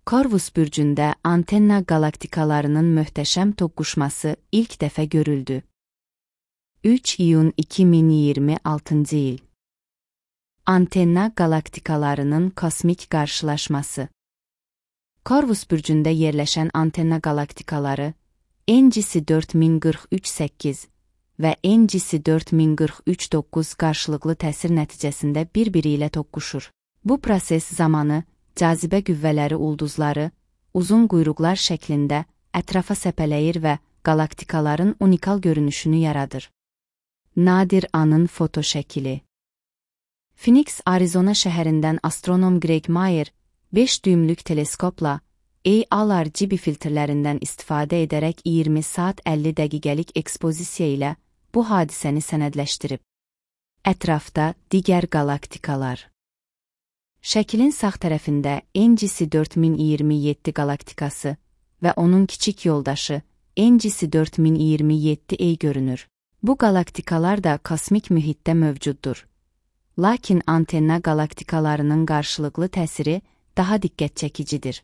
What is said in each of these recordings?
Corvus bürcündə antenna qalaktikalarının möhtəşəm toqquşması ilk dəfə görüldü. 3 iyun 2026 il. Antenna qalaktikalarının kosmik qarşılaşması. Corvus bürcündə yerləşən antenna qalaktikaları NGC 4043-8 və NGC 4043-9 qarşılıqlı təsir nəticəsində bir-biri ilə toqquşur. Bu proses zamanı cazibə qüvvələri ulduzları uzun quyruqlar şəklində ətrafa səpələyir və qalaktikaların unikal görünüşünü yaradır. Nadir anın foto şəkili. Phoenix, Arizona şəhərindən astronom Greg Mayer 5 düymlük teleskopla AR-GB filtrlərindən istifadə edərək 20 saat 50 dəqiqəlik ekspozisiya ilə bu hadisəni sənədləşdirib. Ətrafda digər qalaktikalar. Şəklin sağ tərəfində NGC 4027 qalaktikası və onun kiçik yoldaşı NGC 4027A görünür. Bu qalaktikalar da kosmik mühitdə mövcuddur. Lakin antenna qalaktikalarının qarşılıqlı təsiri daha diqqət çəkicidir.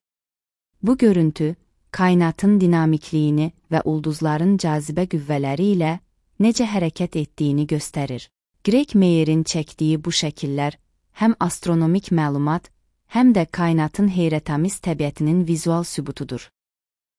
Bu görüntü, kainatın dinamikliyini və ulduzların cazibə qüvvələri ilə necə hərəkət etdiyini göstərir. Greg Mayer'in çəkdiyi bu şəkillər həm astronomik məlumat, həm də kainatın heyrətamiz təbiətinin vizual sübutudur.